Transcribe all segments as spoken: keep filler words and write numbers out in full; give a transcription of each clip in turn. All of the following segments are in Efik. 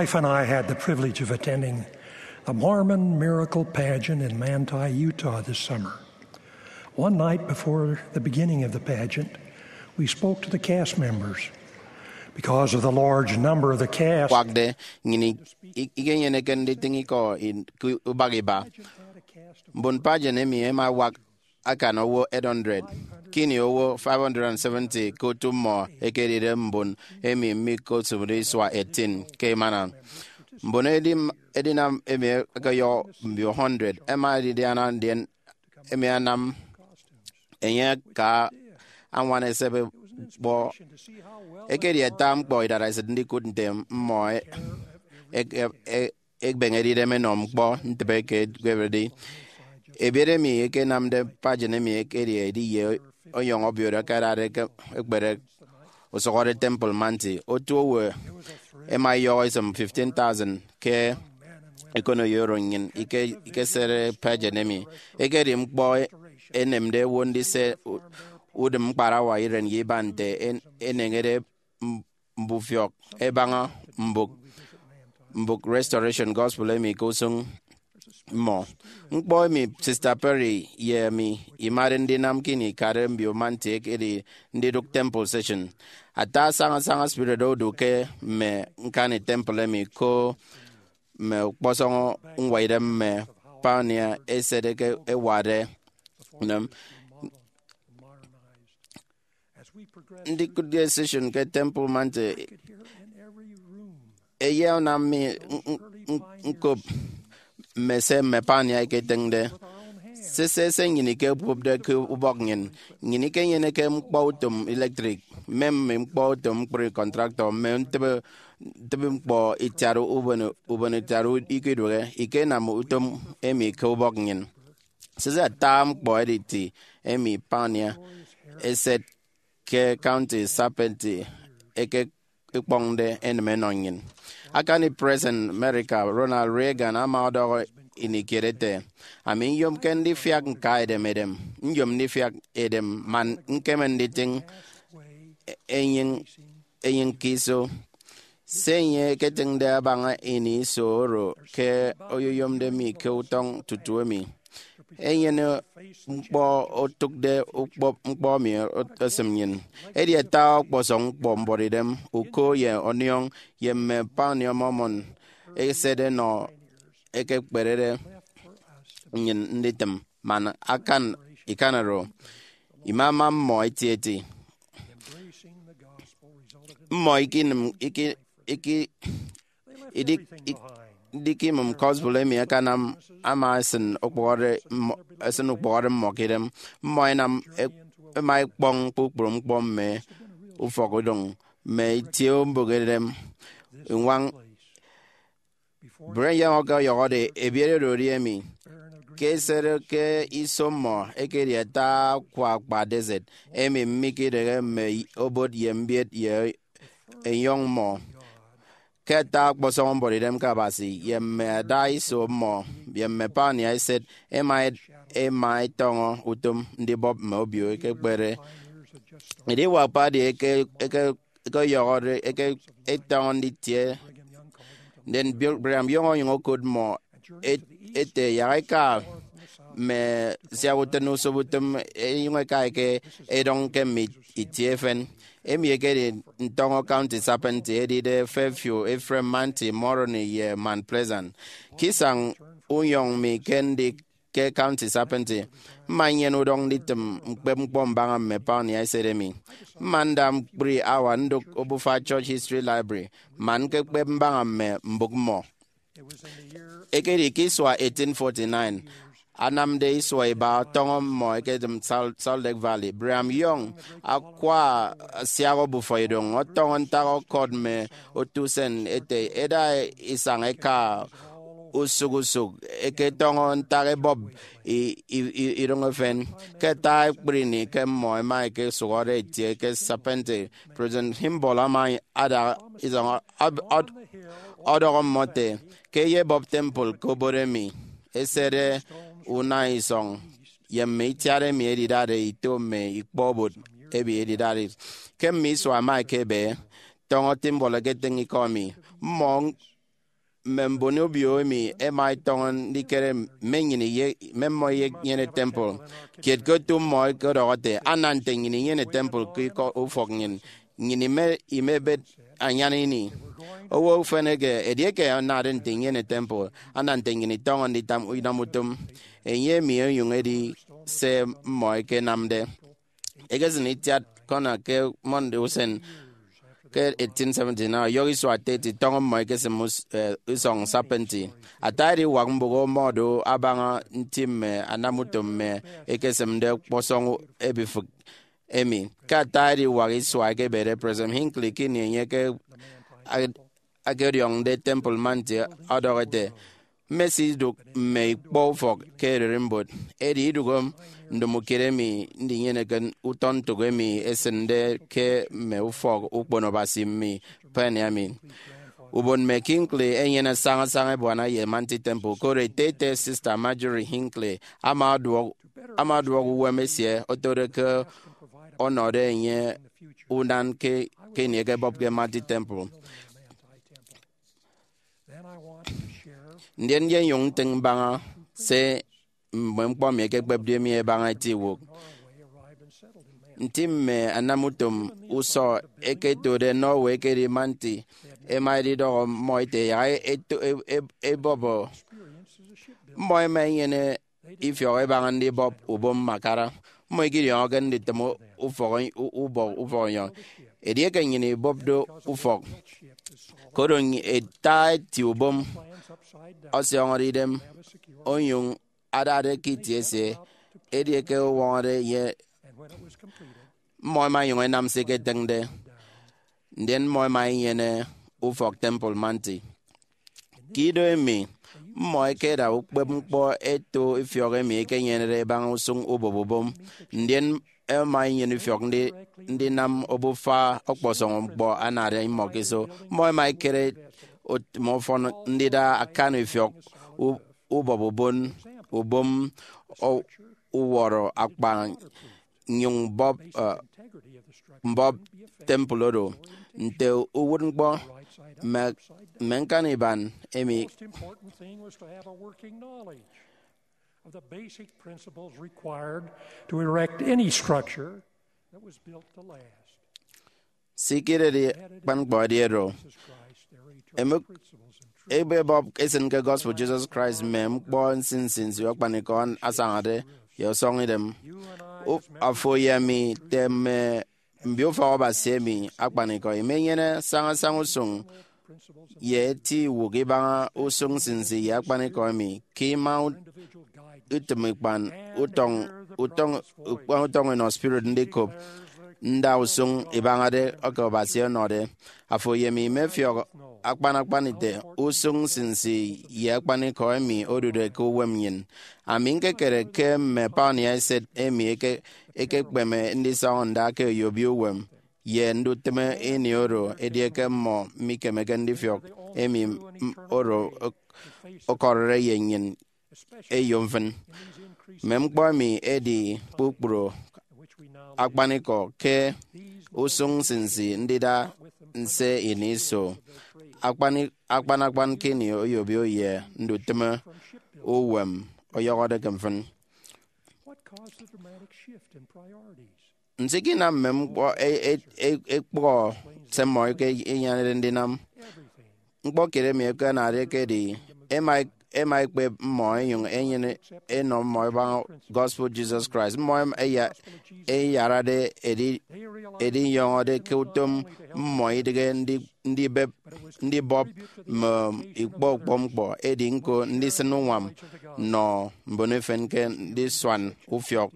Wife and I had the privilege of attending the Mormon Miracle Pageant in Manti, Utah this summer. One night before the beginning of the pageant, we spoke to the cast members. Because of the large number of the cast, kwakde, nnyịn i- ikenyeneke nditịñ ikọ in- ke ubak iba. Mbon pageant emi ẹma ẹwak akan owo eight hundred. Ke ini owo five hundred seventy ke otu mmọ ẹkedide mbon emi mikosụmde isua eighteen ke emana. Mbon edim- edinam emi ẹkeyọ mbio hundred ẹma ẹdidiana, ndien emi anam enye aka añwan esep ñkpọ. Ekedi ata ñkpọ idaresit ndikụt nte mmọ e- e- e- e- ekpeñede idem ẹnọ ñkpọ ntịbe ke ẹkpebede. Ebiet emi ẹkenamde pageant emi ekedi edi ye ọnyọñ obio oro ẹkadade ke ekpere usụhọde Temple Manti. Otu owo ẹma ẹyọhọ isịm fifteen thousand ke ekonoyo oro nnyịn ike- ikesede pageant emi. Ekedi ñkpọ enemde owo ndise u- udịm ñkparawa iren ye iba nte en- eneñede m- mbufiọk ẹbaña mbụk mbụk Restoration Gospel emi ke usụñ mmọ. Ñkpọ emi Sister Perry ye emi imade ndinam ke ini ikade mbio Manti ekedi ndidụk temple session. Ata asañasaña spirit odu ke mme ñkani temple emi, ko mme ọkpọsọñ ñwaidem mme pioneer eset eke ẹwade unem. Ndikụtde session ke Temple Manti eyenam mi n- n- n- ñkop mme se mme pioneer eketịñde. Sese se nnyịn ikekopde ke ubọk nnyịn. Nnyịn ikenyeneke ñkpọ utom electric, mme mme ñkpọ utom ñkpri contractor, mme ntịbe ntịbe ñkpọ itiat ubon ubon itiat ikidụhe. Ikenam utom emi ke ubọk nnyịn. Sese ata ñkpọ editi emi pioneer eset ke County Serpentine eke ikpọñde enịm ẹnọ nnyịn. Akani President America Ronald Reagan ama ọdọhọ ini kiet ete, "Ami nyomke ndifiak ñka edem edem, nyom ndifiak edem man ñkeme nditịñ enyịñ enyịñ ke iso." Se enye eketịñde abaña ini iso oro ke oyoyomde mi ke utọñ tutu emi. Enyene ñkpọ otụkde ukpọp ñkpọ mi esịm nnyịn. Edi ata ọkpọsọñ ñkpọ mbuọtidem, uko ye ọniọñ, ye mme pioneer Mormon eset ẹnọ ekekperede nnyịn nditịm man akan ikan oro. Imama mmọ etieti. Mmọ ikinịm iki- iki- idik- ik- idikimịm gospel emi akanam ama esịn ukpụhọde mmọ- esịn ukpụhọde mmọ ke idem. Mmọ ẹnam e- ẹma ẹkpọñ kpukpru ñkpọ mme ufọkidụñ mme itie mbụk edem. Ñwañ Brian Young ọkọyọhọde ebiet oro edi emi. Ke esede ke iso mmọ ekedi ata akwa akpa desert emi mikidịghe mme obot ye mbiet ye enyọñ mmọ. Ke ata ọkpọsọñ mbuọtidem ke Abasi ye mme ada iso mmọ ye mme pioneer eset ẹma ẹd- ẹma ẹtọñọ utom ndibọp mme obio ekekpere. Ediwak padi eke- eke- ekeyọhọde eke- etọñọ nditie. Ndien Bi- Brigham Young onyụñ okot mmọ et- ete, "Yak eka mme siak utịn usop utom, enyụñ eka eke edọñ ke mme itie efen." Emi ekedi ntọñọ County Serpentine edide Fairview, Ephraim, Manti, Moroni, ye Mount Pleasant. Ke isañ unyọñ mi ke ndi ke County Serpentine, mma nnyene udọñ nditịm ñkpep ñkpọ mbaña mme pioneer eset emi. Mma nda ñkpri hour ndụk obufa Church History Library man ñkekpep mbaña mme mbụk mmọ. Ekedi ke isua eighteen forty-nine anamde isua iba ọtọñọ mmọ eketịm Sal- Salt Lake Valley. Brigham Young akwa asiak obufa idoñ ọtọñọ ntak ọkọt mme otu usen ete ẹda isañ ẹka usụk usụk ẹketọñọ ntak ẹbọp i- i- i- idoñ efen. Ke ata ekpri ini ke mmọ ẹma ẹkesụhọde ẹtie ke Serpentine, President Kimball ama ada isọñ ọb- ọd- ọdọhọ mmọ ete, "Ke ẹyebọp temple ke obot emi, ẹsede una isọñ ye mme itiat emi ẹdidade ito mme ikpọ obot emi ẹdidade." Ke mme isua ẹma ẹkebe, tọñọ Kimball eketịñ ikọ emi. Mmọ mme mbon obio emi ẹma ẹtọñọ ndikere mme nnyịn iye mme mmọ iyenyene temple. Kiet ke otu mmọ ẹkedọhọ ete, ana nte nnyịn inyene temple ke ikọ ufọk nnyịn, nnyịn ime- imebet anyan ini. Owo ufen eke, edieke anade nte inyene temple, ana nte nnyịn itọñọ nditam inam utom. Enye emi onyụñ edi se mmọ ẹkenamde. Ekesịn itiat Connor ke Monday usen ke eighteen seventy-nine, ọyọhọ isua thirty tọñọ mmọ ekesịm us- eh, isọñ serpentine. Ata ediwak mbụk ọmọdo abaña nti mme anamutom mme ekesịmde ọkpọsọñ ebifịk emi. Ke ata ediwak isua ekebede, President Hinckley ke ini enye ke akediọñde Temple Mount ọdọhọ ete, mmesidụk mme ikpọ ufọk ke ererimbot, edi idụhe ndomokiet emi ndinyeneke utọ ntụk emi esịnde ke mme ufọk ukpono Abasi mme Pioneer mi. Ubon mme Hinckley ẹnyene sañasaña ebuana ye Mount Temple, koro ete ete Sister Marjorie Hinckley ama ọduọk ama ọduọk uwem esie otode ke ọnọde enye unan ke ke ini ẹkebọpke Mount Temple. Ndien nyonyụñ ntịñ mbaña se mme ñkpọ mi ẹkekpepde mi ẹbaña eti iwụk. Nti mme anamutom usọ ẹketode Norway ẹkedi Mount, ẹma ẹdidọhọ mmọ ete, yak ẹto- ẹ- ẹ- ẹbọbọ. Mmọ ẹma ẹnyene ifiọk ẹbaña ndibọp ubom mme akara. Mmọ ikidiọñọke nditịm ufọk, ubọk ufọk enyọñ. Edieke nnyịn ibọpde ufọk, koro ata eti ubom ọsiọñọde idem, onyụñ adade ke itie esie, edieke ọwọñọde ye mmọ ẹma ẹnyụñ ẹnam se iketịñde, ndien mmọ ẹma ẹnyene ufọk Temple Mount. Ke ido emi, mmọ ẹkeda ukpepñkpọ ẹto ifiọk emi ẹkenyenede ẹbaña usụñ ubọp ubom, ndien ẹma ẹnyene ifiọk ndi- ndinam obufa ọkpọsọñ ñkpọ anade imọ ke iso. Mmọ ẹma ẹkere utịm ọfọn ndida akan ifiọk u- ubọp ubon ubom ọ- uwọrọ akpa nnyụñ mbọp, eh, mbọp temple oro. Nte uwụtñkpọ, mme, mme ñkan iban emi. Most important thing was to have a working knowledge of the basic principles required to erect any structure that was built to last. Sikidedi akpan ñkpọ edi oro. Emek ebebọp esin ke gospel Jesus Christ mme ñkpọ nsinsi nsi akpanikọ asañade ye ọsọñidem. Afo ye ami, te mme mbio ufọk Abasi emi akpanikọ, imenyene sañasaña usụñ ye eti iwụk ibaña usụñ nsinsi ye akpanikọ emi ke ima utịm ikpan utọñ, utọñ, ikpan utọñ inọ spirit ndikop nda usụñ ibañade eke Abasi ọnọde. Afo ye mi imefiọk akpan akpan ite usụñ nsinsi ye akpanikọ emi odude ke uwem nnyịn. Ami ñkekere ke mme pioneer eset emi eke- ekekpeme ndisọñọ nda ke oyobio uwem ye ndutịme ini oro, edieke mmọ mikemeke ndifiọk emi m- oro ọkọrọde ye nnyịn eyo mfịn. Mme ñkpọ emi ẹdi kpukpru akpanikọ ke usụñ nsinsi ndida nse ini iso akpan akpan akpan ke ini oyobio ye ndutịme uwem ọyọhọde ke mfịn. What caused the dramatic shift in priorities? Nso ikinam mme ñkpọ e- e- e- ekpụhọ se mmọ eke inyanede ndinam? Ñkpọ kiet emi ẹkenade ekedi, ẹma ẹma ẹkpep mmọ ẹnyụñ ẹnyene ẹnọ mmọ ẹbaña gospel Jesus Christ. Mmọ ẹma ẹya- ẹyarade edi- ẹdinyọñọde ke utom mmọ idịghe ndi- ndibep ndibọp mme ikpọ ukpepñkpọ, edi ñko ndisịn uñwam nnọ mbon efen ke ndisuan ufiọk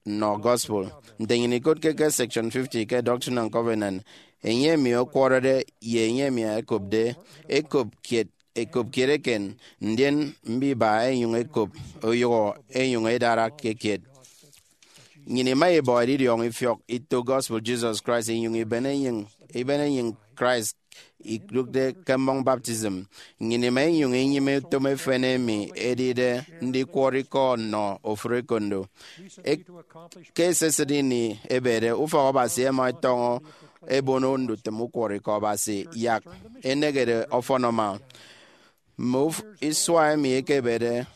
nnọ gospel. Nte nnyịn ikotke ke section fifty ke Doctrine and Covenant, enye emi ọkwọrọde ye enye emi ẹkopde, ẹkop kiet, ẹkop kiet eken, ndien mbiba ẹnyụñ ẹkop, oyụhọ ẹnyụñ ẹdara ke kiet. Nnyịn ima ibọ edidiọñ ifiọk ito gospel Jesus Christ inyụñ iben enyịñ, iben enyịñ Christ idụkde ke mmọñ baptism. Nnyịn ima inyụñ inyịme utom efen emi edide ndikwọrọ ikọ nnọ ofụri ekondo. Ek- ke esisịt ini ebede, ufọk Abasi ẹma ẹtọñọ ẹbono ndutịm ukwọrọikọ Abasi, yak enehede ọfọn ama. Mme uf- isua emi ekebede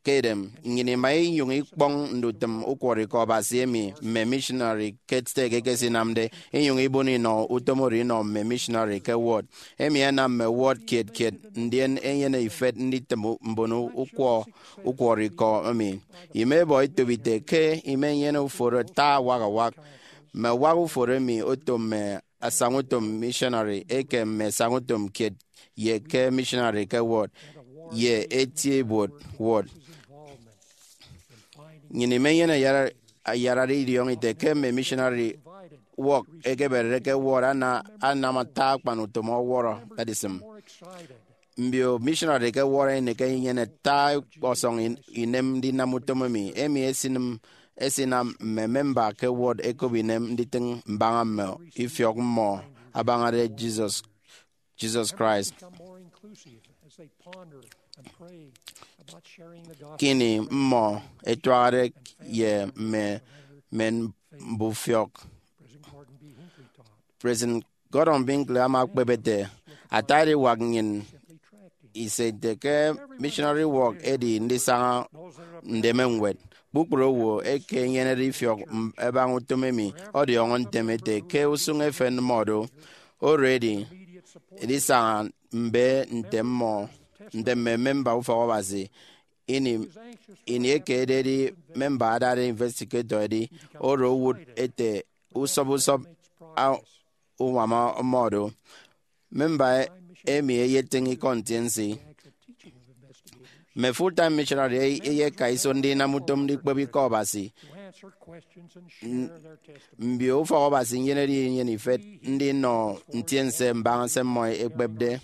ke edem, nnyịn ima inyụñ ikpọñ ndutịm ukwọrọikọ Abasi emi mme missionary ke stake ẹkesinamde, inyụñ ibon inọ utom oro inọ mme missionary ke ward. Emi anam mme ward kiet kiet, ndien enyene ifet nditịm mbon ukwọ ukwọrọikọ emi. Imebọ etop ite ke imenyene uforo ata awak awak. Mme awak uforo emi oto mme asañautom missionary eke mme asañautom kiet ye ke missionary ke ward ye eti ibuot ward. Nnyịn imenyene ayara- ayarade idiọñọ ite ke mme missionary ward ẹkeberede ke ward ana- anam ata akpan utom ọwọrọ edisịm. Mbio missionary ke ward ẹnịk ẹnyene ata ọkpọsọñ in- inem ndinam utom emi. Emi esinịm esinam mme memba ke ward ẹkop inem nditịñ mbaña mme ifiọk mmọ abañade Jesus Jesus Christ. Ke ini mmọ ẹtuahade ye mme men mbufiọk, President Gordon Hinckley ama ekpep ete, ata ediwak nnyịn ise ite ke missionary work edi ndisaña ndeme ñwed. Kpukpru owo eke enyenede ifiọk m- ẹbaña utom emi ọdiọñọ ntem ete ke usụñ efen mmọ do. Oro edi, edisaña mbe nte mmọ, nte mme memba ufọk Abasi. Ini, ini eke ededi memba adade investigator edi, oro owụt ete usọp usọp a- uñwam mmọ do. Memba emi eyetịñ ikọ ntiense. Mme full-time missionary ey- eyeka iso ndinam utom ndikpep ikọ Abasi. N- mbio ufọk Abasi nyenede inyene ifet ndinọ ntiense mbaña se mmọ ekpepde.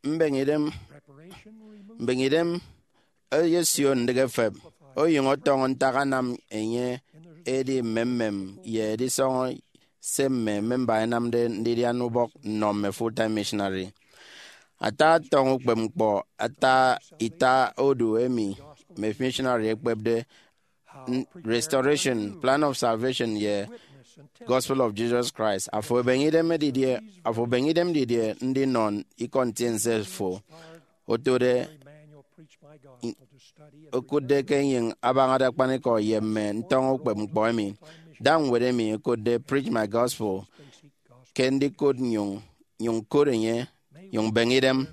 Mbeñe idem, mbeñe idem eyesio ndịk efep, onyụñ ọtọñọ ntak anam enye edi mmemmem ye edisọñọ se mme memba ẹnamde ndidian ubọk nnọ mme full-time missionary. Ata atọñ ukpepñkpọ, ata ita odu emi mme missionary ẹkpepde, n- Restoration, Plan of Salvation, ye Gospel of Jesus Christ. Afo ebeñe idem didie, afo ebeñe idem didie ndinọ ikọ ntiense fo otode okụtde ke enyịñ abañade akpanikọ ye mme ntọñọ ukpepñkpọ emi? Da ñwed emi ẹkotde Preach My Gospel ke ndikụt nyụñ, nyụñ kụt enye, nyụñ beñe idem.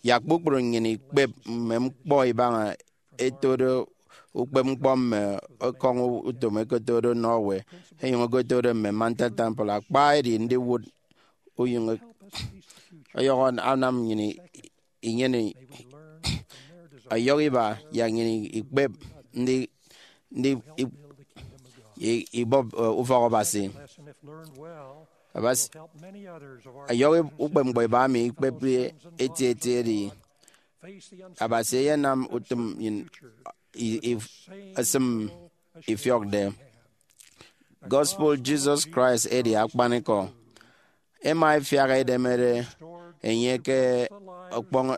Yak kpukpru nnyịn ikpep mme ñkpọ ibaña ẹtode ukpepñkpọ mme ekọñ utom ẹkotode Norway, ẹnyụñ ẹkotode mme Mantel Temple. Akpa edi ndiwụt unyụñ ọyọhọ anam nnyịn inyene ọyọhọ iba yak nnyịn ikpep ndi, ndi i- i- ibọp, eh, ufọk Abasi. Abasi, ọyọhọ ukpepñkpọ iba emi ikpepde eti eti edi, Abasi eyenam utom nnyịn i- i- esịm ifiọkde. Gospel Jesus Christ edi akpanikọ. Ẹma ẹfiak ẹdemede enye ke ọkpọñ-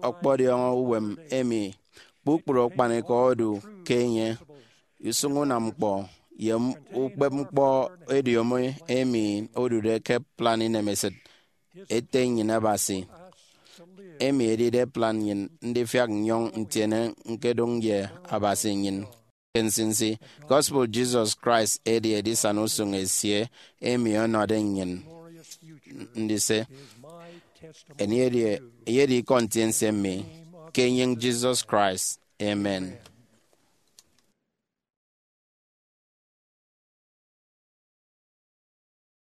ọkpọdiọñọ uwem emi kpukpru akpanikọ odu ke enye. Usụñ unam ñkpọ ye ukpepñkpọ ediomi emi odude ke plan inemesịt Ete nnyịn Abasi, emi edide plan nnyịn ndifiak nnyọñ ntiene ñkedụñ ye Abasi nnyịn ke nsinsi. Gospel Jesus Christ edi edisana usụñ esie emi ọnọde nnyịn ndise. Enye edi, enye edi ikọ ntiense mi ke enyịñ Jesus Christ. Amen.